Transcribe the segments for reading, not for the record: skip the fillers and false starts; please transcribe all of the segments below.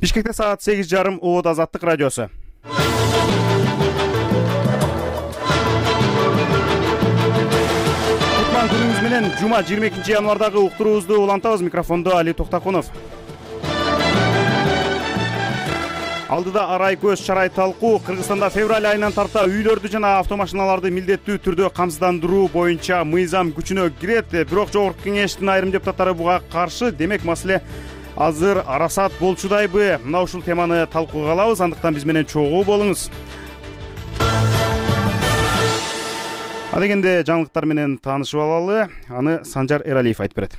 Бишкекте саат 8:30 Оот Азаттык радиосу. Кутман күнүңүз менен жума 22 январдагы уктуруубузду улантабыз. Микрофондо Али Токтакунов. Алдыда арай көз чарай талкуу. Кыргызстанда февраль айынан тарта үйлөрдү жана автомашиналарды милдеттүү түрдө камсыздандыруу боюнча мыйзам күчүнө кирет. Бирок жогорку кеңештин айрым депутаттары буга каршы. Демек маселе азыр арасат болчудайбы? Мына ушул теманы талкууга алабыз. Андыктан биз менен чогуу болуңуз. Адегенде жаңылыктар менен таанышып алалы. Аны Санжар Эралиев айтып берет.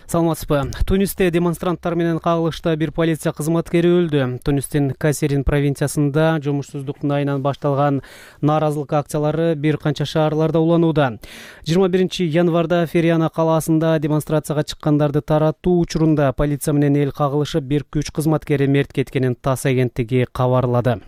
Саламатсызбы. Тунисте демонстранттар менен кагылышта бир полиция кызматкери өлдү. Тунистин Касерин провинциясында жумушсуздуктун айынан башталган нааразылык акциялары бир канча шаарларда уланууда. 21 январда Фериана калаасында демонстрацияга чыккандарды таратуу учурунда полиция менен эл кагылышып бир күч кызматкери мерт кеткенин ТАСС агенттиги кабарлады.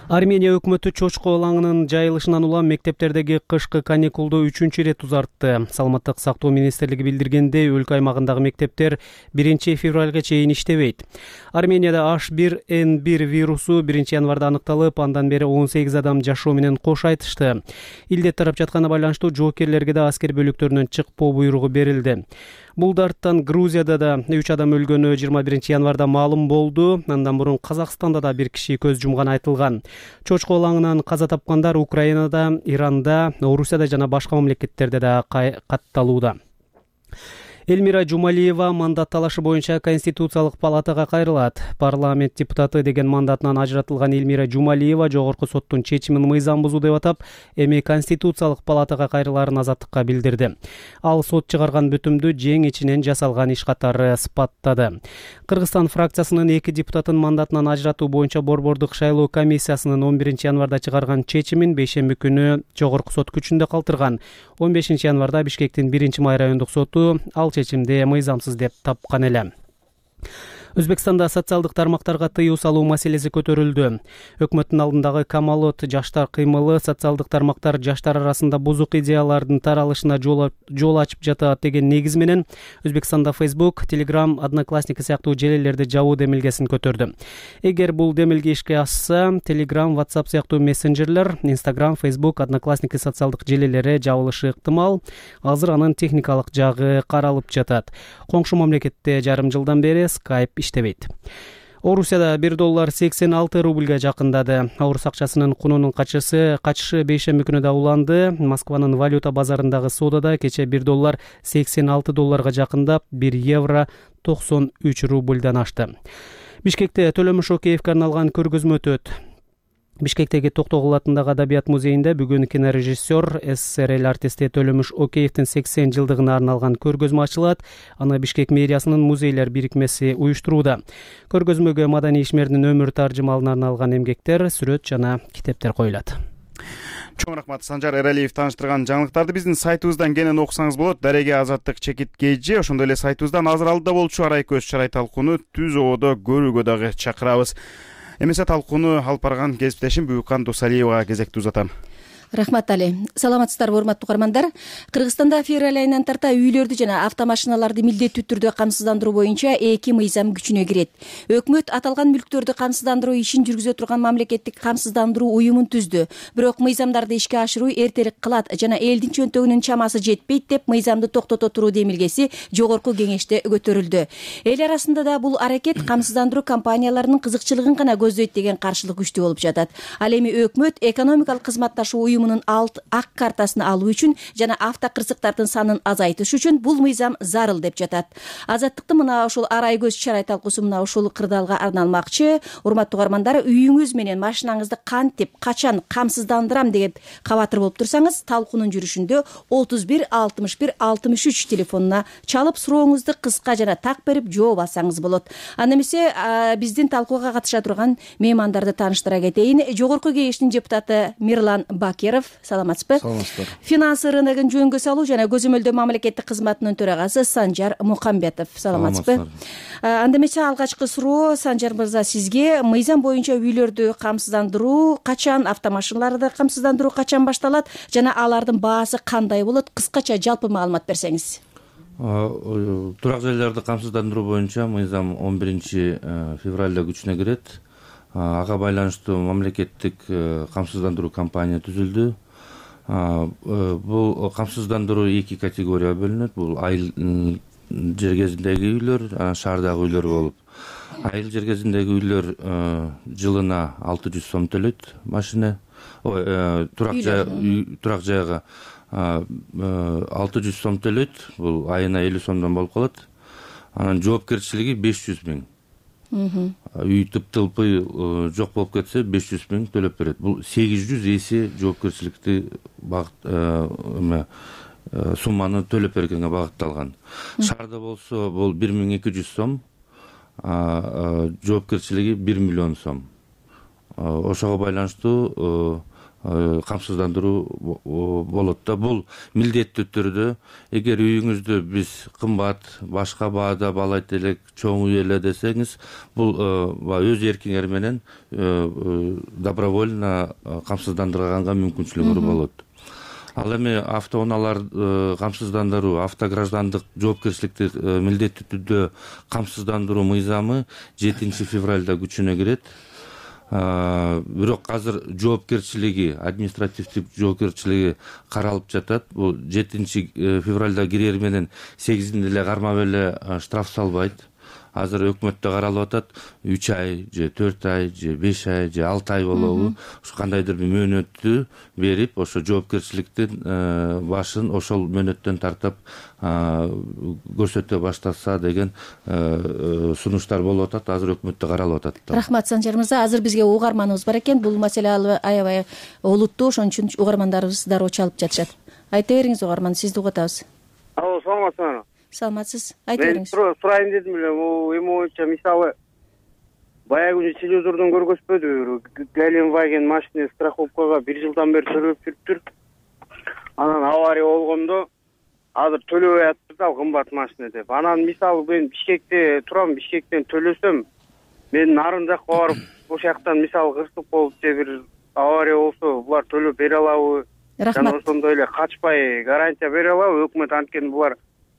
Армения өкмөтү чочко лаңынын жайылышынан улам мектептердеги кышкы каникулду 3-чү ирет узартты. Саламаттык сактоо министрлиги билдиргендей, өлкө аймагындагы мектептер 1 февралга чейин иштебейт. Арменияда H1N1 вирусу 1 январда аныкталып, андан бери 18 адам жашоо менен кош айтышты. Илдет тарап жатканына байланыштуу жоокерлерге да аскер бөлүктөрүнөн чыкпоо буйругу берилди. Бул дарттан Грузияда да 3 адам өлгөнү 21 январда маалым болду. Андан мурун Казакстанда да бир киши көз жумган айтылган. Чочко лаңынан каза тапкандар Украинада, Иранда, Орусияда жана башка мамлекеттерде да катталууда. Элмира Жумалиева мандат талашы боюнча Конституциялык палатага кайрылат. Парламент депутаты деген мандатынан ажыратылган Элмира Жумалиева жогорку соттун чечимин мыйзам бузуу деп атап, эми Конституциялык палатага кайрылаарын Азаттыкка билдирди. Ал сот чыгарган бүтүмдү жең ичинен жасалган иш катары сыпаттады. Кыргызстан фракциясынын 2 депутатын мандатынан ажыратуу боюнча Борбордук шайлоо комиссиясынын 11 январда чыгарган чечимин бейшемби күнү жогорку сот күчүндө калтырган. 15 январда Бишкектин 1-май райондук соту ал чечимди мыйзамсыз деп тапкан эле. Өзбекстанда социалдык тармактарга тыюу салуу маселеси көтөрүлдү. Өкмөттүн алдындагы камалот жаштар кыймылы социалдык тармактар жаштар арасында бузук идеялардын таралышына жол ачып жатат деген негиз менен Өзбекстанда Facebook, Telegram, Одноклассники сыяктуу желелерди жабуу демилгесин көтөрдү. Эгер бул демилге ишке ашса, Telegram, WhatsApp сыяктуу мессенджерлер, Instagram, Facebook, Одноклассники социалдык желелери жабылышы ыктымал. Азыр анын техникалык жагы каралып жатат. Коңшу мамлекетте жарым жылдан бери Skype иштебейт. Орусияда $1 86 рубльга жакындады. Орус акчасынын кунунун качышы бейшемби күнү да уланды. Москванын валюта базарындагы соодада кече $1 $86 жакындап, €1 93 рубльдан ашты. Бишкекте Төлөмүш Океевге арналган көргөзмө өтөт. Бишкектеги Токтогул атындагы Адабият музейинде бүгүн кинорежиссер СССР артисти Төлөмүш Океевдин 80 жылдыгына арналган көргөзмө ачылат. Аны Бишкек мэриясынын музейлер бирикмеси уюштурууда. Көргөзмөгө маданий ишмердин өмүр таржымалына арналган эмгектер, сүрөт жана китептер коюлат. Чоң рахмат Санжар Эралиев тааныштырган жаңылыктарды биздин сайтыбыздан кенен окусаңыз болот. Дареге Азаттык чекиткейжи, ошондой эле сайтыбыздан азыр алдыда болчу арай көз чарай талкууну түз ободо көрүүгө дагы чакырабыз. Эмесе талкууну алып барган кесиптешим Бүкан Досалиевага кезекти узатам. Рахмат Али. Саламатсыздарбы, урматтуу угармандар. Кыргызстанда февраль айынан тарта үйлөрдү жана автомашиналарды милдеттүү түрдө камсыздандыруу боюнча 2 мыйзам күчүнө кирет. Өкмөт аталган мүлктөрдү камсыздандыруу ишин жүргүзө турган мамлекеттик камсыздандыруу уюмун түздү. Бирок мыйзамдарды ишке ашыруу эртерээк кылат жана элдин чөнтөгүнүн чамасы жетпейт деп мыйзамды токтото туруу демилгеси жогорку кеңеште көтөрүлдү. Эл арасында да бул аракет камсыздандыруу компанияларынын кызыкчылыгын гана көздөйт деген каршылык күчтүү болуп жатат. Ал эми өкмөт экономикалык кызматташуу уюмунун ак картасын алуу үчүн жана автокырсыктардын санын азайтыш үчүн бул мыйзам зарыл деп жатат. Азаттыктын мына ушул арай көз чарай талкуусу мына ушул кырдаалга арналмакчы. Урматтуу угармандар, үйүңүз менен машинаңызды кантип, качан камсыздандырам деп кабатыр болуп турсаңыз, талкуунун жүрүшүндө 31 61 63 телефонуна чалып сурооңузду кыска жана так берип жооп алсаңыз болот. Анда эмесе биздин талкууга катыша турган меймандарды тааныштыра кетейин. Жогорку кеңештин депутаты Мирлан Бакеров, саламатсызбы? Саламатсыздар. Финансы рыногун жөнгө салуу жана көзөмөлдөө мамлекеттик кызматынын төрагасы Санжар Мукамбетов, саламатсызбы? Анда эмесе алгачкы суроо Санжар мырза сизге. Мыйзам боюнча үйлөрдү камсыздандыруу качан, автомашиналарды камсыздандыруу качан башталат жана алардын баасы кандай болот? Кыскача жалпы маалымат берсеңиз. Турак жайларды камсыздандыруу боюнча мыйзам 11 февралда күчүнө кирет. Ага байланыштуу мамлекеттик камсыздандыруу компания түзүлдү. Бул камсыздандыруу 2 категорияга бөлүнөт. Бул айыл жер кезиндеги үйлөр, шаардагы үйлөр болуп. Айыл жер кезиндеги үйлөр жылына 600 сом төлөйт машина. Турак жайга 600 сом төлөйт. Бул айына 50 сомдон болуп калат. Анан жоопкерчилиги 500 000. Үй тыптылпый жок болуп кетсе 500 000 төлөп берет. Бул 800 эсе жоопкерчиликти сумманы төлөп бергенге багытталган. Шаарда болсо бул 1200 сом, жоопкерчилиги 1 миллион сом. Ошого байланыштуу камсыздандыруу болот да. Бул милдеттүү түрдө эгер үйүңүздү биз кымбат, башка баада баалайт элек, чоң үй эле десеңиз, бул өз эркиңер менен добровольно камсыздандырганга мүмкүнчүлүгүңөр болот. Ал эми автоунаалар камсыздандыруу, автограждандык жоопкерчиликти милдеттүү түрдө камсыздандыруу мыйзамы 7 февралда күчүнө кирет. Бирок азыр жоопкерчилиги, административдик жоопкерчилиги каралып жатат. Бул 7 февралда кирер менен 8-inde эле кармап эле штраф салбайт. Азыр өкмөттө каралып атат 3 ай же 4 ай же 5 ай же 6 ай болобу, ушу кандайдыр бир мөөнөттү берип, ошо жоопкерчиликтин башын ошол мөөнөттөн тартып көрсөтө баштаса деген сунуштар болуп атат. Азыр өкмөттө каралып атат. Рахмат, Санжар мырза. Азыр бизге угарманыбыз бар экен. Бул маселе аябай олуттуу, ошон үчүн угармандарыбыз дароо чалып жатышат. Айта бериңиз, угарман, сизди угуп атабыз. Алло, саламатсызбы? Саламатсыз. Айта бериңиз. Мен сурайын дедим эле. Эми боюнча мисалы баягы күнү телевизордон көргөзбөдү, Gelenwagen машина страховкага 1 жылдан бери төлөп жүрүптүр. Анан авария болгондо азыр төлөбөй атышат, ал кымбат машина деп. Анан мисалы мен Бишкекте турам, Бишкектен төлөсөм, мен нарын жакка барып, ошол жактан мисалы кырсык болуп же бир авария болсо, булар төлөп бере алабы? Рахмат. Жана ошондой эле качпай гарантия бере алабы? Өкмөт анткени булар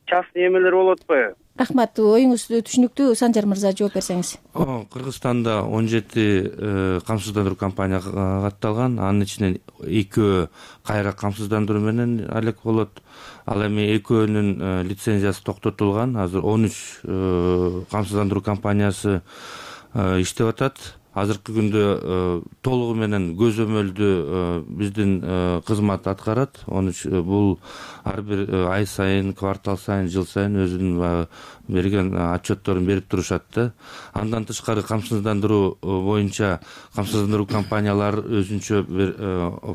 частный эмелер болуп атпайбы? Рахмат, оюңуз түшүнүктүү. Санжар мырза, жооп берсеңиз. Кыргызстанда 17 камсыздандыруу компания катталган. Анын ичинен 2 кайра камсыздандыруу менен алек болот. Ал эми 2-нүн лицензиясы токтотулган. Азыр 13 камсыздандыруу компаниясы иштеп атат. Азыркы күндө толугу менен көзөмөлдүү биздин кызмат аткарат. Бул ар бир ай сайын, квартал сайын, жыл сайын өзүнүн берген отчетторун берип турушат да. Андан тышкары камсыздандыруу боюнча камсыздандыруу компаниялар өзүнчө бир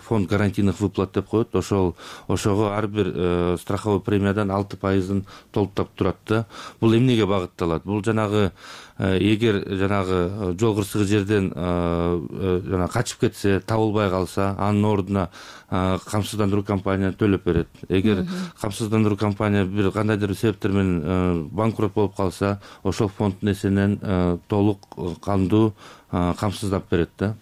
фонд гарантийных выплат деп коет. Ошого ар бир страховой премиядан 6% толуктап турат да. Бул эмнеге багытталат? Бул жанагы эгер жанагы жол кырсыгы жерден жана качып кетсе, табылбай калса, анын ордуна камсыздандыруу компания төлөп берет. Эгер камсыздандыруу компания бир кандайдыр себептер менен банкрот болуп калса, ошол фонддун эсебинен толук кандуу камсыздап берет да.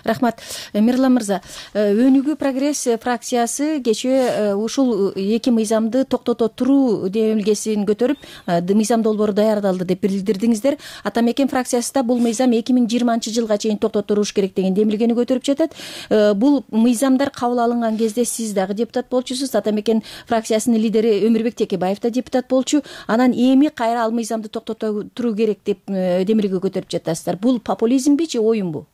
Рахмат. Мирлан мырза, Өнүгүү прогресс фракциясы кечээ ушул 2 мыйзамды токтото туруу демилгесин көтөрүп, мыйзам долбоору даярдалды деп билдирдиңиздер. Ата Мекен фракциясы да бул мыйзам 2020-жылга чейин токтотулуш керек деген демилгени көтөрүп жатат. Бул мыйзамдар кабыл алынган кезде сиз дагы депутат болчусуз. Ата Мекен фракциясынын лидери Өмүрбек Текебаев да депутат болчу. Анан эми кайра ал мыйзамды токтото туруу керек деп демилге көтөрүп жатасыздар. Бул популизмби же оюнбу?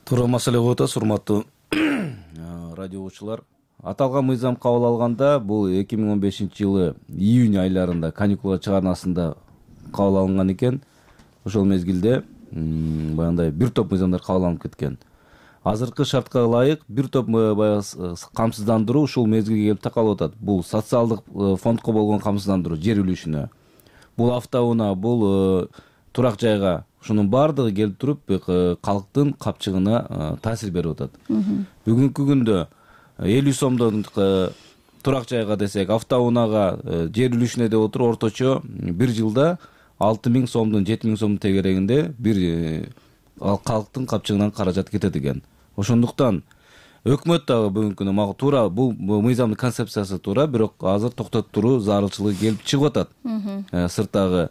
Туура маселе коюп атасыз, урматтуу радио угуучулар. Аталган мыйзам кабыл алганда бул 2015-жылы июнь айларында каникула чыгарнасында кабыл алынган экен. Ошол мезгилде баягындай бир топ мыйзамдар кабыл алынып кеткен. Азыркы шартка ылайык бир топ камсыздандыруу ушул мезгилге келип такалып атат. Бул социалдык фондко болгон камсыздандыруу жер үлүшүнө. Бул автоунаа, бул турак жайга, ушунун баардыгы келип туруп калктын капчыгына таасир берип атат. Бүгүнкү күндө 50 сомдон турак жайга десек, автоунаага жер үлүшүнө деп отуруп орточо бир жылда 6000 сомдон 7000 сомдун тегерегинде бир калктын капчыгынан каражат кетет экен. Ошондуктан өкмөт дагы бүгүнкү күнү мага туура бул мыйзамдын концепциясы туура, бирок азыр токтотуп туруу зарылчылыгы келип чыгып атат. Сырттагы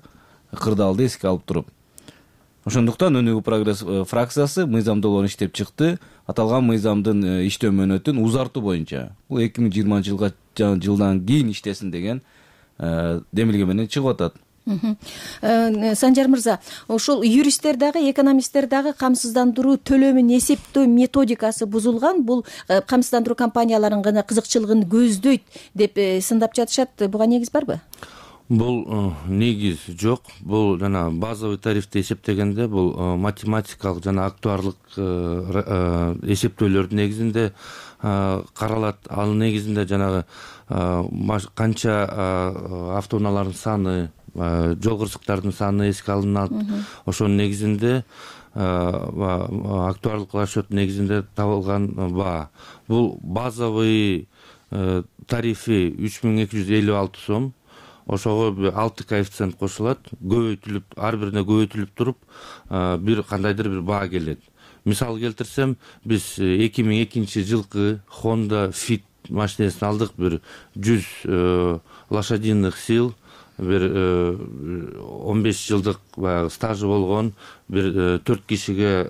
кырдаалды эске алып туруп. Ошондуктан Өнүгүү прогресс фракциясы мыйзам долбоорун иштеп чыкты. Аталган мыйзамдын иштөө мөөнөтүн узартуу боюнча бул 2020 жылдан кийин иштесин деген демилге менен чыгып атат. Санжар мырза, ошол юристтер дагы, экономисттер дагы камсыздандыруу төлөмүн эсептөө методикасы бузулган, бул камсыздандыруу компанияларынын гана кызыкчылыгын көздөйт деп сындап жатышат. Буга негиз барбы? Бул негиз жок. Бул жана базовый тарифти эсептегенде бул математикалык жана актуарлык эсептөөлөрдүн негизинде каралат. Ал негизинде жанагы канча автоунаалардын саны, жол кырсыктардын саны эске алынат. Ошонун негизинде актуарлык расчет негизинде табылган баа. Бул базовый тарифи 3256 сом. Ошого 6 коэффициент кошулат, көбөйтүлүп, ар бирине көбөйтүлүп туруп, бир кандайдыр бир баа келет. Мисал келтирсем, биз 2002 жылкы Honda Fit машинесин алдык, бир 100 лошадиных сил, бир 15 жылдык стажы болгон, бир 4 кишиге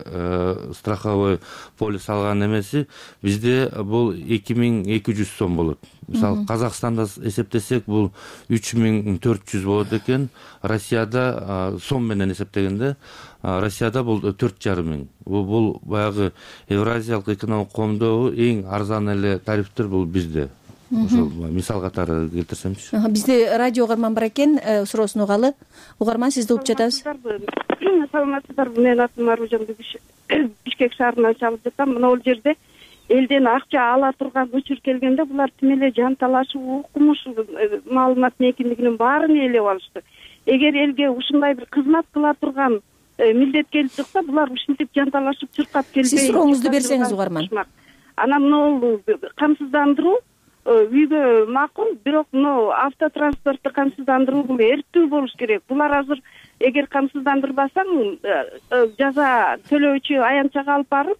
страховой полис алган эмеси бизде бул 2200 сом болот. Мисалы Казакстанда эсептесек бул 3400 болот экен. Россияда сом менен эсептегенде Россияда бул 4500. Бул баягы Евразиялык экономикалык коомдогу эң арзан эле тарифтер бул бизде. Ошол мисал катары келтирсемчи. Бизде радио угарман бар экен, суроосун угалы. Угарман, сизди угуп жатабыз. Саламатсыздарбы? Менин атым Аружан, Бишкек шаарынан чалып жатам. Мына бул жерде элден акча ала турган учур келгенде булар тим эле жанталашып, укмуш маалыматтын экиндигинин баарын ээлеп алышты. Эгер элге ушундай бир кызмат кыла турган милдет келип чыкса, булар ушинтип жанталашып чуркап келбей. Сиз сурооңузду берсеңиз угарман. Анан мына камсыздандыруу үйгө макул, бирок мына автотранспортту камсыздандыруу бул эртүү болуш керек. Булар азыр эгер камсыздандырбасаң, жаза төлөөчү аянтчага алып барып,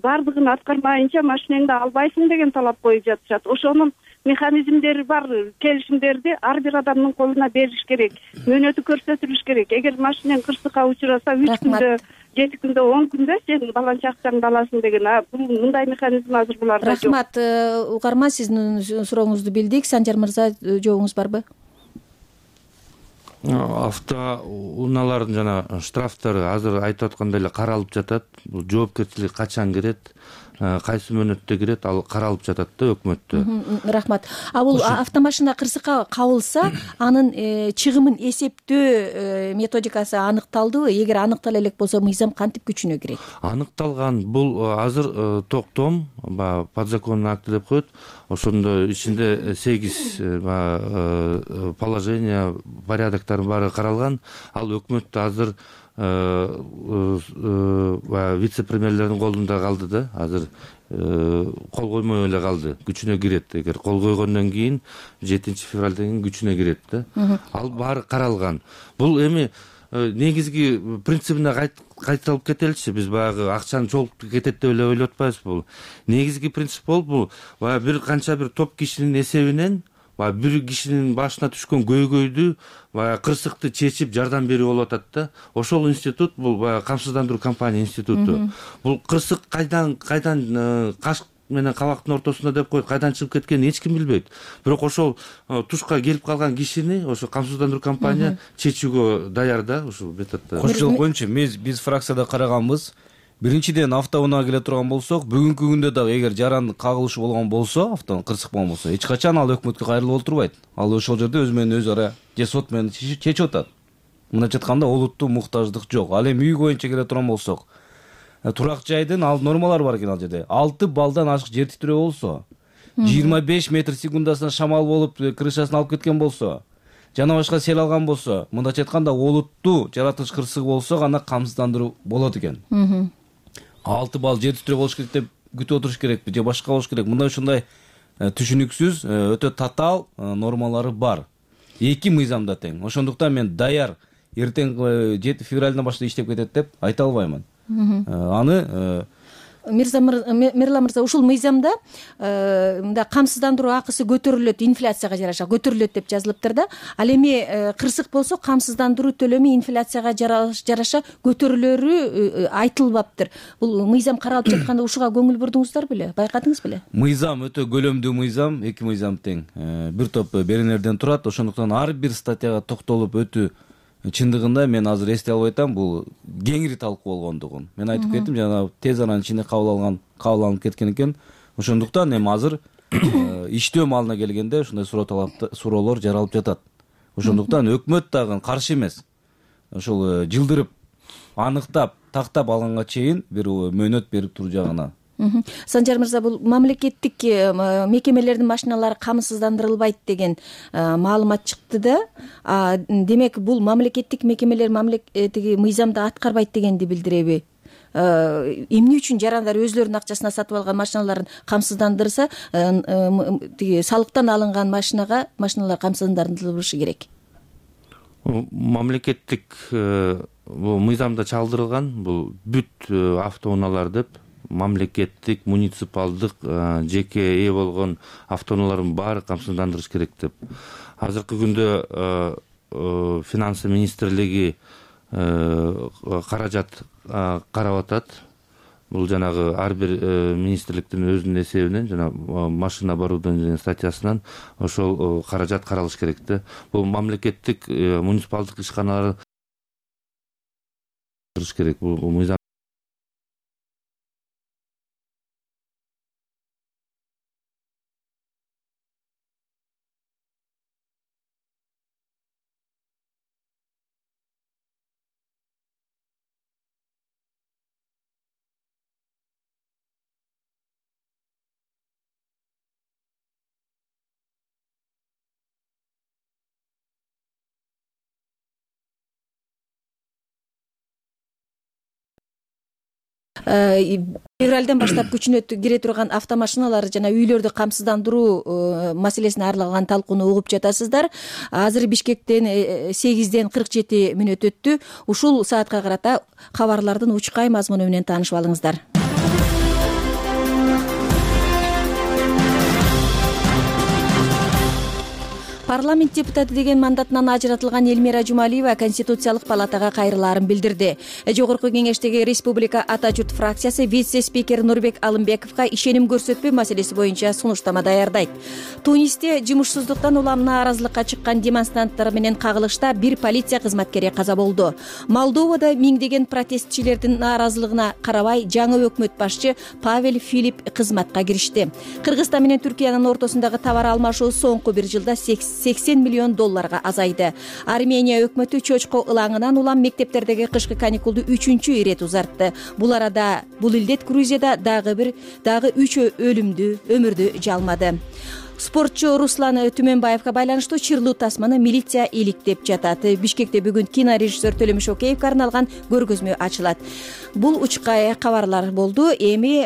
бардыгын аткармайынча машинеңди албайсың деген талап коюп жатышат. Ошонун механизмдери бар, келишимдерди ар бир адамдын колуна бериш керек, мөөнөтү көрсөтүлүш керек. Эгер машинең кырсыкка учураса 3 күндө, 7 күндө, 10 күндө сен баланча акчаңды аласың деген. Бул мындай механизм азыр буларда жок. Рахмат, угарман, сиздин сурооңузду билдик. Санжар мырза, жообуңуз барбы? Автоунаалардын жана штрафтары азыр айтып аткандай эле каралып жатат. Бул жоопкерчилик качан кирет, кайсы мөөнөттө кирет, ал каралып жатат да өкмөттө. Рахмат. Бул автомашина кырсыкка кабылса, анын чыгымын эсептөө методикасы аныкталдыбы? Эгер аныктала элек болсо, мыйзам кантип күчүнө кирет? Аныкталган. Бул азыр токтом, подзаконный акт деп коет. Ошондо ичинде 8 положение, порядоктордун баары каралган. Ал өкмөттө азыр вице-премьерлердин колунда калды да. Азыр кол коймой эле калды. Күчүнө кирет. Эгер кол койгондон кийин 7 февралдан кийин күчүнө кирет да. Ал баары каралган. Бул эми негизги принцибине кайталып кетеличи. Биз баягы акчаны чогултуп кетет деп эле ойлоп атпайбыз. Бул негизги принцип болуп, бул баягы бир канча бир топ кишинин эсебинен бир кишинин башына түшкөн көйгөйдү, баягы кырсыкты чечип жардам берүү болуп атат да. Ошол институт бул баягы камсыздандыруу компания институту. Бул кырсык кайдан кашк менен кабактын ортосунда деп коет, кайдан чыгып кеткенин эч ким билбейт. Бирок ошол тушка келип калган кишини ошо камсыздандыруу компания чечүүгө даяр да, ушул методдо. Кошчулук боюнча биз фракцияда караганбыз. Биринчиден автоунаа келе турган болсок, бүгүнкү күндө дагы эгер жаран кагылышы болгон болсо, автонун кырсык болгон болсо, эч качан ал өкмөткө кайрылып олтурбайт. Ал ошол жерде өзү менен өзү ара же сот менен чечип атат. Мындайча айтканда, олуттуу муктаждык жок. Ал эми үй боюнча келе турган болсок, турак жайдын ал нормалары бар экен ал жерде. 6 балдан ашык жер титирөө болсо, 25 метр секундасына шамал болуп крышасын алып кеткен болсо, жана башка сел алган болсо, мындайча айтканда, олуттуу жаратылыш кырсыгы болсо гана камсыздандыруу болот экен. 6 балл жер титирөө болуш керек деп күтүп отуруш керекпи же башка болуш керек? Мындай ушундай түшүнүксүз, өтө татаал нормалары бар. Эки мыйзамда тең. Ошондуктан мен даяр эртең 7 февралдан баштап иштеп кетет деп айта албаймын. Аны Мирлан мырза, ушул мыйзамда мындай камсыздандыруу акысы көтөрүлөт, инфляцияга жараша көтөрүлөт деп жазылыптыр да. Ал эми кырсык болсо камсыздандыруу төлөмү инфляцияга жараша көтөрүлөрү айтылбаптыр. Бул мыйзам каралып жатканда ушуга көңүл бурдуңуздар беле, байкадыңыз беле? Мыйзам өтө көлөмдүү мыйзам, эки мыйзам тең бир топ беренелерден турат. Ошондуктан ар бир статьяга токтолуп өтүү чындыгында мен азыр эстей албай атам, бул кеңири талкуу болгондугун. Мен айтып кеттим, жана тез аранын ичинде кабыл алынып кеткен экен. Ошондуктан эми азыр иштөө маалына келгенде ушундай суроолор жаралып жатат. Ошондуктан өкмөт дагы каршы эмес. Ошол жылдырып, аныктап, тактап алганга чейин бир мөөнөт берип туруу жагына. Санжар мырза, бул мамлекеттик мекемелердин машиналары камсыздандырылбайт деген маалымат чыкты да. Демек, бул мамлекеттик мекемелер тиги мыйзамды аткарбайт дегенди билдиреби? Эмне үчүн жарандар өзлөрүнүн акчасына сатып алган машиналарын камсыздандырса, тиги салыктан алынган машиналар камсыздандырылышы керек? Мамлекеттик бул мыйзамда чалдырылган, бул бүт автоунаалар деп, мамлекеттик, муниципалдык, жеке ээ болгон автоунаалардын баары камсыздандырыш керек деп. Азыркы күндө Финансы министрлиги каражат карап атат. Бул жанагы ар бир министрликтин өзүнүн эсебинен, жана машина оборудование статьясынан ошол каражат каралыш керек да. Бул мамлекеттик, муниципалдык ишканалар керек. Бул мыйзам февралдан баштап күчүнө кире турган автомашиналар жана үйлөрдү камсыздандыруу маселесине арналган талкууну угуп жатасыздар. Азыр Бишкектен 8ден 47 мүнөт өттү. Ушул саатка карата кабарлардын учкай мазмуну менен таанышып алыңыздар. Парламент депутаты деген мандатынан ажыратылган Элмира Жумалиева Конституциялык палатага кайрылаарын билдирди. Жогорку кеңештеги Республика Ата журт фракциясы вице-спикер Нурбек Алымбековго ишеним көрсөтпөө маселеси боюнча сунуштама даярдайт. Тунисте жумушсуздуктан улам нааразылыкка чыккан демонстранттар менен кагылышта бир полиция кызматкери каза болду. Молдовада миңдеген протестчилердин нааразылыгына карабай жаңы өкмөт башчы Павел Филипп кызматка киришти. Кыргызстан менен Түркиянын ортосундагы товар алмашуу соңку бир жылда $80 миллион азайды. Армения өкмөтү чочко ылаңынан улам мектептердеги кышкы каникулду 3-чү ирет узартты. Бул арада бул илдет Грузияда дагы 3 өмүрдү жалмады. Спортчу Руслан Түмөнбаевга байланыштуу чырлуу тасманы милиция иликтеп жатат. Бишкекте бүгүн кинорежиссер Төлөмүш Океевге арналган көргөзмө ачылат. Бул учкай кабарлар болду. Эми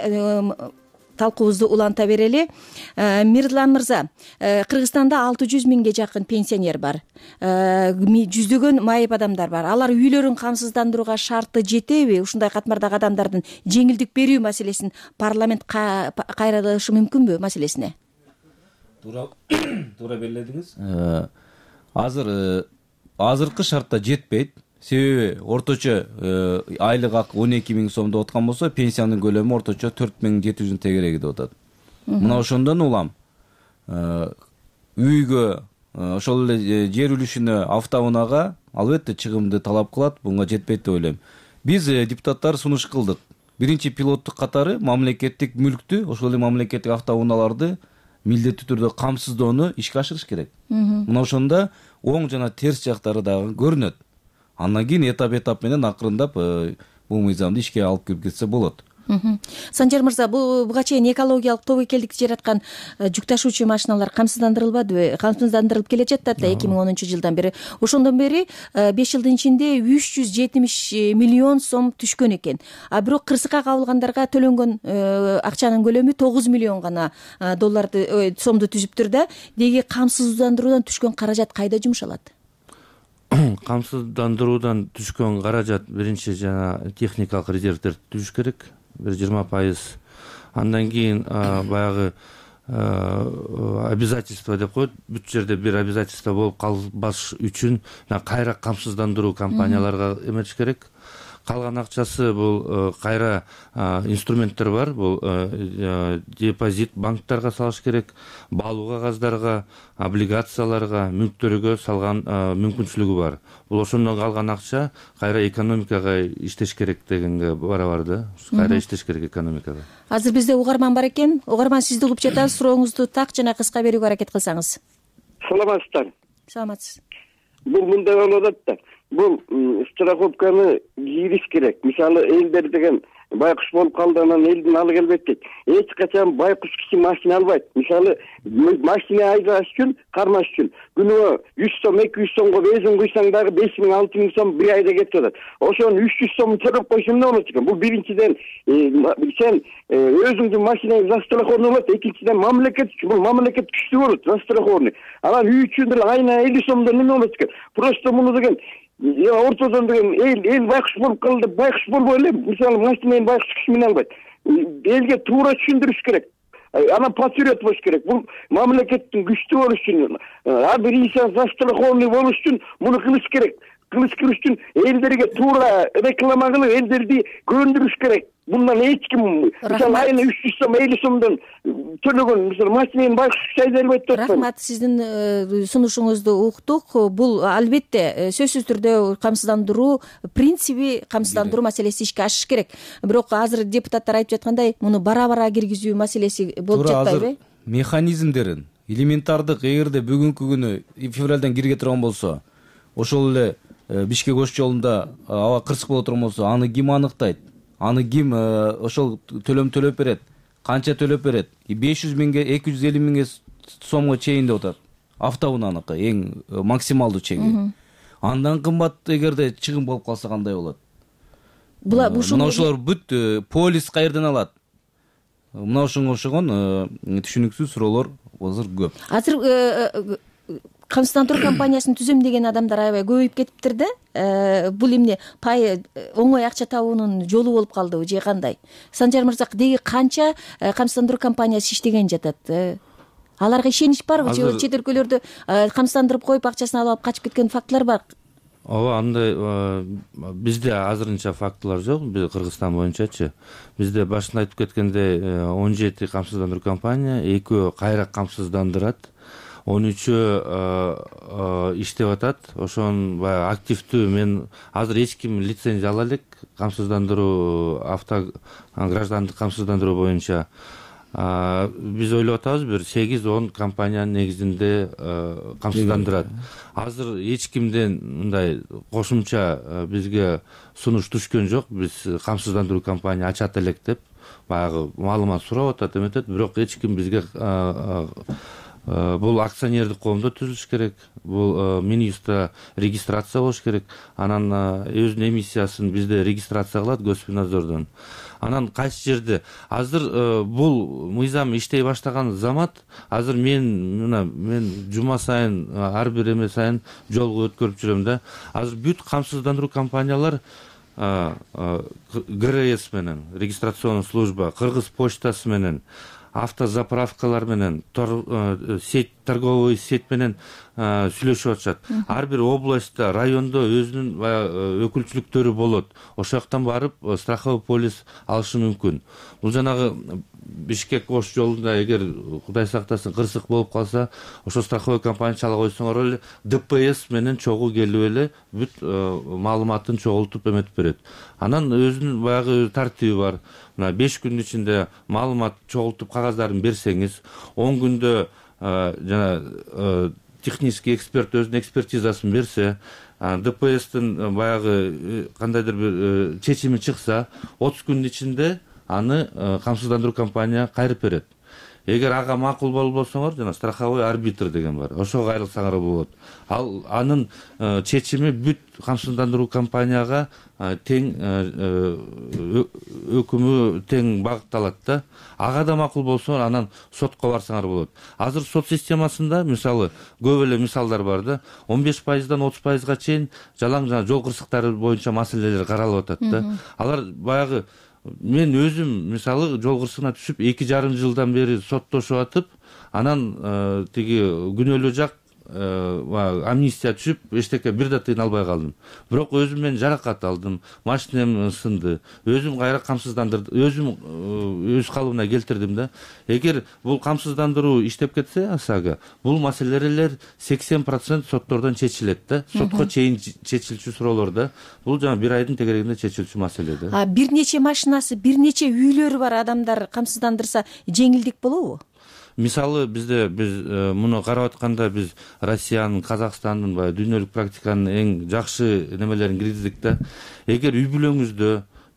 талкуубузду уланта берели. Мирлан мырза, Кыргызстанда 600 миңге жакын пенсионер бар. Жүздөгөн майып адамдар бар. Алар үйлөрүн камсыздандырууга шарты жетеби? Ушундай катмардагы адамдардын жеңилдик берүү маселесин парламент кайрылышы мүмкүнбү маселесине? Туура белгиледиңиз. Азыркы шартта жетпейт. Себеби орточо айлык акы 12 миң сом деп аткан болсо, пенсиянын көлөмү орточо 4700 тегереги деп атат. Мына ошондон улам үйгө, ошол эле жер үлүшүнө, автоунаага албетте чыгымды талап кылат, буга жетпейт деп ойлойм. Биз депутаттар сунуш кылдык. Биринчи пилоттук катары мамлекеттик мүлктү, ошол эле мамлекеттик автоунааларды милдеттүү түрдө камсыздоону ишке ашырыш керек. Мына ошондо оң жана терс жактары дагы көрүнөт. Андан кийин этап менен акырындап бул мыйзамды ишке алып кирип кетсе болот. Санжар мырза, буга чейин экологиялык тобокелдикти жараткан жүк ташуучу машиналар камсыздандырылбадыбы? Камсыздандырылып келе жатат да 2010 жылдан бери. Ошондон бери 5 жылдын ичинде 370 миллион сом түшкөн экен. А бирок кырсыкка кабылгандарга төлөнгөн акчанын көлөмү 9 миллион гана сомду түзүптүр да. Деги камсыздандыруудан түшкөн каражат кайда жумшалат? Камсыздандыруудан түшкөн каражат биринчи жана техникалык резервдерди түзүш керек. бир 20%. Андан кийин баягы обязательство деп коет, бүт жерде бир обязательство болуп калбаш үчүн кайра камсыздандыруу компанияларга эметиш керек. Калган акчасы бул кайра инструменттер бар, бул депозит банктарга салыш керек, баалуу кагаздарга, облигацияларга, мүлктөргө салган мүмкүнчүлүгү бар. Бул ошондон калган акча кайра экономикага иштеш керек дегенге барабар да, кайра иштеш керек экономикага. Азыр бизде угарман бар экен. Угарман, сизди угуп жатабыз. Сурооңузду так жана кыска берүүгө аракет кылсаңыз. Саламатсыздар. Саламатсыз. Бул мындай болуп атат да. Бул страховканы кийриш керек. Мисалы, элдер деген байкуш болуп калды, анан элдин алы келбейт дейт. Эч качан байкуш киши машина албайт. Мисалы, машина айдаш үчүн, кармаш үчүн күнүгө 100 сом, 200 сомго бензин куйсаң дагы 5000, 6000 сом бир айда кетип атат. Ошону 300 сом төлөп койсоң эмне болот экен? Бул биринчиден сен өзүңдүн машинаңды застрахован болот, экинчиден мамлекет үчүн, бул мамлекет күчтүү болот, застрахованный. Анан үй үчүн деле айына 50 сомдон эмне болот экен? Просто муну деген ортодон деген эл байкуш болуп калды деп байкуш болбой эле. Мисалы, машинаны байкуш киши мине албайт. Элге туура түшүндүрүш керек. Анан патриот болуш керек. Бул мамлекеттин күчтүү болуш үчүн, ар бир инсан застрахованный болуш үчүн муну кылыш керек. Кылыш үчүн элдерге туура реклама кылып, элдерди көндүрүш керек. Bundan эч ким, мисалы, айына 300 сом, 50 сомдон төлөгөн, мисалы, машинаны байкуш айда албайт деп атпайм. Рахмат, сиздин сунушуңузду уктук. Бул албетте сөзсүз түрдө камсыздандыруу принциби, камсыздандыруу маселеси ишке ашыш керек. Бирок азыр депутаттар айтып жаткандай, муну бара-бара киргизүү маселеси болуп жатпайбы? Механизмдерин элементардык, эгерде бүгүнкү күнү февралдан кирге турган болсо, ошол эле Бишкек ош жолунда аба кырсык боло турган болсо, аны ким аныктайт? Аны ким ошол төлөм төлөп берет? Канча төлөп берет? 500 миңге, 250 миңге сомго чейин деп атат. Автоунааныкы эң максималдуу чеги. Андан кымбат эгерде чыгым болуп калса кандай болот? Мына ошолор бүт полис каерден алат? Мына ошонго окшогон түшүнүксүз суроолор азыр көп. Азыр камсыздандыруу компаниясын түзөм деген адамдар аябай көбөйүп кетиптир да. Бул эмне пай оңой акча табуунун жолу болуп калдыбы же кандай? Санжар мырза, деги канча камсыздандыруу компаниясы иштеген жатат? Аларга ишенич барбы? Же чет өлкөлөрдө камсыздандырып коюп акчасын алып качып кеткен фактылар бар? Ооба, андай бизде азырынча фактылар жок. Биз Кыргызстан боюнчачы. Бизде башында айтып кеткендей 17 камсыздандыруу компания, 2 кайра камсыздандырат. 13 иштеп атат. Ошон баягы активдүү. Мен азыр эч ким лицензия ала элек камсыздандыруу, граждандык камсыздандыруу боюнча. Биз ойлоп атабыз, бир 8-10 компаниянын негизинде камсыздандырат. Азыр эч кимден мындай кошумча бизге сунуш түшкөн жок. Биз камсыздандыруу компания ачат элек деп баягы маалымат сурап атат, эметет. Бирок эч ким бизге бул акционердик коомдо түзүлүш керек. Бул Минюстта регистрация болуш керек. Анан өзүнүн эмиссиясын бизде регистрация кылат Госпинадзордон. Анан кайсы жерде азыр бул мыйзам иштей баштаган замат, азыр мен жума сайын ар бир эме сайын жолго өткөрүп жүрөм да. Азыр бүт камсыздандыруу компаниялар ГРС менен, регистрационный служба, Кыргыз почтасы менен, автозаправкалар менен, торговый сеть менен сүйлөшүп атышат. Ар бир областта, райондо өзүнүн өкүлчүлүктөрү болот. Ошол жактан барып страховой полис алышы мүмкүн. Бул жанагы Бишкек ош жолунда эгер Кудай сактасын кырсык болуп калса, ошо страховой компания чала койсоңор эле ДПС менен чогуу келип эле бүт маалыматын чогултуп эметип берет. Анан өзүнүн баягы тартиби бар. Мына 5 күндүн ичинде маалымат чогултуп кагаздарын берсеңиз, 10 күндө жана технический эксперт өзүнүн экспертизасын берсе, ДПСтин баягы кандайдыр бир чечими чыкса, 30 күндүн ичинде аны камсыздандыруу компания кайрып берет. Эгер ага макул болбосоңор, жана страховой арбитр деген бар. Ошого кайрылсаңар болот. Ал анын чечими бүт камсыздандыруу компанияга тең өкүмү тең багытталат да. Ага да макул болсо, анан сотко барсаңар болот. Азыр сот системасында мисалы көп эле мисалдар бар да. 15%дан 30%га чейин жалаң жол кырсыктары боюнча маселелер каралып атат да. Алар баягы мен өзүм мисалы жол кырсыгына түшүп 2,5 жылдан бери соттошуп атып, анан тиги күнөөлүү жак амнистия түшүп эчтеке бир да тыйын албай калдым. Бирок өзүм мен жаракат алдым, машинем сынды, өзүм кайра камсыздандырдым, өзүм өз калыбына келтирдим да. Эгер бул камсыздандыруу иштеп кетсе ОСАГО, бул маселелер 80% соттордон чечилет да, сотко чейин чечилчү суроолор да. Бул жана бир айдын тегерегинде чечилчү маселе да. Бир нече машинасы, бир нече үйлөрү бар адамдар камсыздандырса жеңилдик болобу? Мисалы биз муну карап атканда биз Россиянын, Казакстандын баягы дүйнөлүк практиканын эң жакшы немелерин киргиздик да. Эгер үй бүлөңүздө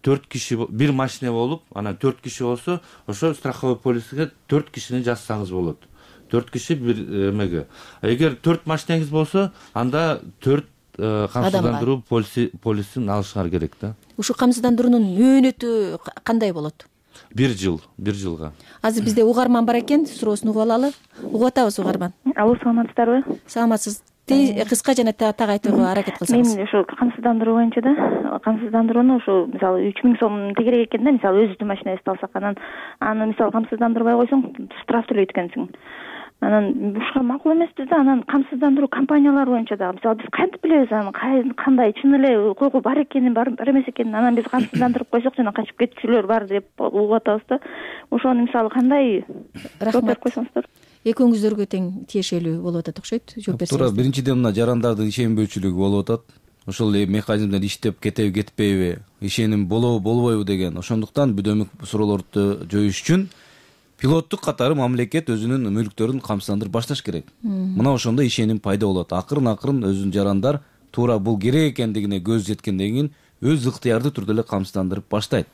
4 киши бир машина болуп, анан 4 киши болсо, ошо страховой полиске 4 кишини жазсаңыз болот. 4 киши бир эмеге. Эгер 4 машинеңиз болсо, анда 4 камсыздандыруу полисин алышыңар керек да. Ушу камсыздандыруунун мөөнөтү кандай болот? 1 жылга. Азыр бизде угарман бар экен, суроосун угуп алалы. Угуп атабыз угарман. Алло, саламатсыздарбы? Саламатсыз. Кыска жана так айтууга аракет кылсаңыз. Мен ошо камсыздандыруу боюнча да, камсыздандырууну ошо мисалы 3000 сом тегерек экен да, мисалы өзүбүздүн машинабызды алсак, анан аны мисалы камсыздандырбай койсоң штраф төлөйт экенсиң. Анан ушуга макул эмеспиз да. Анан камсыздандыруу компаниялары боюнча дагы мисалы биз кантип билебиз аны кандай чын эле укугу бар экенин, бар эмес экенин. Анан биз камсыздандырып койсок жана качып кетчүлөр бар деп угуп атабыз да. Ошону мисалы кандай жооп берип койсоңуздар? Экөөңүздөргө тең тиешелүү болуп атат окшойт. Жооп берсеңиз. Туура, биринчиден мына жарандардын ишенбөөчүлүгү болуп атат. Ошол эле механизмдер иштеп кетеби кетпейби, ишеним болобу болбойбу деген. Ошондуктан бүдөмүк суроолорду жоюш үчүн пилоттук катары мамлекет өзүнүн мүлктөрүн камсыздандырып башташ керек. Мына ошондо ишеним пайда болот. Акырын өзүнүн жарандар туура бул керек экендигине көз жеткенден кийин өз ыктыярдуу түрдө эле камсыздандырып баштайт.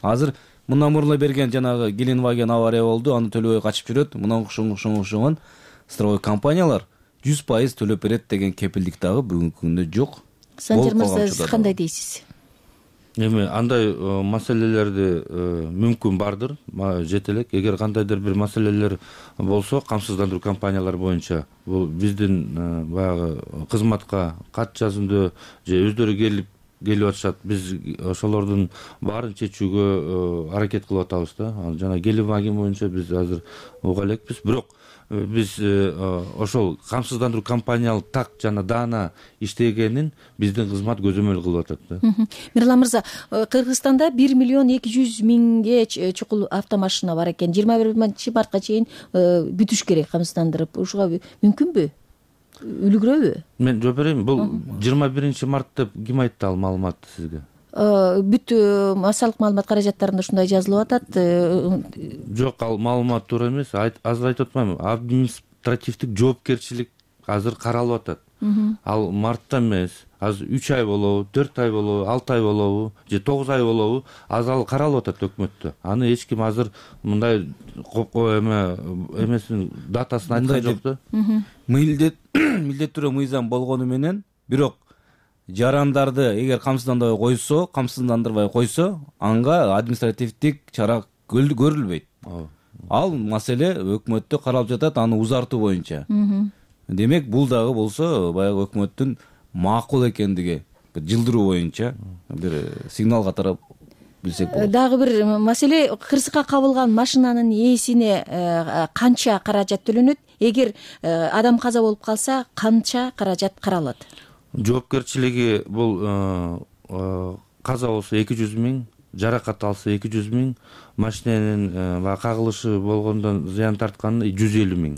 Азыр мындан мурун берген жанагы Gelenwagen авария болду, аны төлөбөй качып жүрөт. Мына ошонгон страховой компаниялар 100% төлөп берет деген кепилдик дагы бүгүнкү күндө жок. Санжар мырза, сиз кандай дейсиз? Эми андай маселелерди мүмкүн бардыр, жете элек. Эгер кандайдыр бир маселелер болсо, камсыздандыруу компаниялары боюнча бул биздин баягы кызматка кат жазымдуу же өздөрү келип атышат. Биз ошолордун баарын чечүүгө аракет кылып атабыз да. Жана Gelenwagen боюнча биз азыр уга элекпиз. Бирок биз ошол камсыздандыруу компаниялык так жана даана иштегенин биздин кызмат көзөмөл кылып атат да. Мирлан мырза, Кыргызстанда 1,2 миллион чукул автомашина бар экен. 21 мартка чейин бүтүш керек камсыздандырып. Ушуга мүмкүнбү? Үлгүрөбү? Мен жооп берейинби? Бул 21 март деп ким айтты ал маалыматты сизге? Бүт массалык маалымат каражаттарында ушундай жазылып атат. Жок, ал маалымат туура эмес. Азыр айтып атпаймынбы? Административдик жоопкерчилик азыр каралып атат. Ал мартта эмес, азыр 3 ай болобу, 4 ай болобу, 6 ай болобу, же 9 ай болобу, азыр ал каралып атат өкмөттө. Аны эч ким азыр мындай эмесин датасын айткан жок да. Милдеттүү мыйзам болгону менен, бирок жарандарды эгер камсыздандырбай койсо, анга административдик чара көрүлбөйт. Ал маселе өкмөттө каралып жатат, аны узартуу боюнча. Демек, бул дагы болсо баягы өкмөттүн макул экендиги жылдыруу боюнча бир сигнал катары билсек болот. Дагы бир маселе, кырсыкка кабылган машинанын ээсине канча каражат төлөнөт? Эгер адам каза болуп калса, канча каражат каралат? Жоопкерчилиги бул каза болсо 200 000, жаракат алса 200 000, машиненин кагылышы болгондон зыян тартканы 150 000.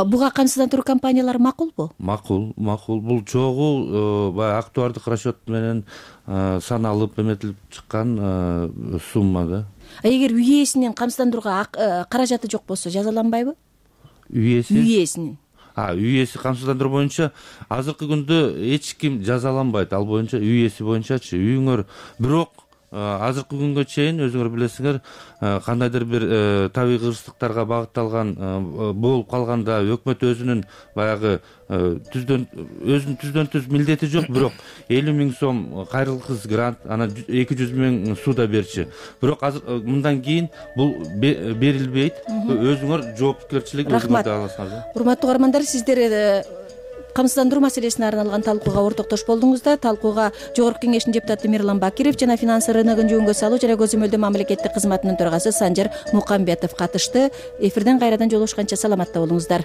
Буга камсыздандыруу компаниялары макулбу? Макул. Бул чогуу баягы актуардык расчет менен саналып, эметилип чыккан сумма да. Эгер үй ээсинин камсыздандырууга каражаты жок болсо, жазаланбайбы? Үй ээсинин. Үй ээси камсыздандыруу боюнча азыркы күндө эч ким жазаланбайт. Ал боюнча үй ээси боюнчачы үйүңөр. Бирок азыркы күнгө чейин өзүңөр билесиңер, кандайдыр бир табигый кырсыктарга багытталган болуп калганда өкмөт өзүнүн баягы өзүнүн түздөн түз милдети жок, бирок 50 000 сом кайрылгыс грант, анан 200 000 суда берчи. Бирок азыр мындан кийин бул берилбейт. Өзүңөр жоопкерчилик өзүңөрдө аласыңар да. Урматтуу угармандар, сиздер камсыздандыруу маселесине арналган талкууга ортоктош болдуңуздар. Талкууга Жогорку Кеңештин депутаты Мирлан Бакиров жана финанс рыногун жөнгө салуу жана көзөмөлдөө мамлекеттик кызматынын төрагасы Санжар Мукамбетов катышты. Эфирден кайрадан жолугушканча саламатта болуңуздар.